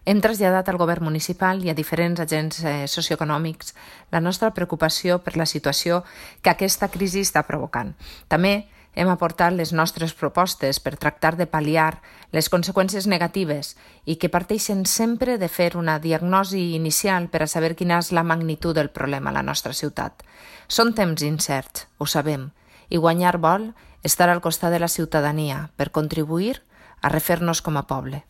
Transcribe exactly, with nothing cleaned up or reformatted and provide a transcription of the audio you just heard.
Hem traslladat al govern municipal i a diferents agents eh, socioeconòmics la nostra preocupació per la situació que aquesta crisi està provocant. També hem aportat les nostres propostes per tractar de pal·liar les conseqüències negatives i que parteixen sempre de fer una diagnosi inicial per a saber quina és la magnitud del problema a la nostra ciutat. Són temps incerts, ho sabem, i guanyar vol estar al costat de la ciutadania per contribuir a refer-nos com a poble.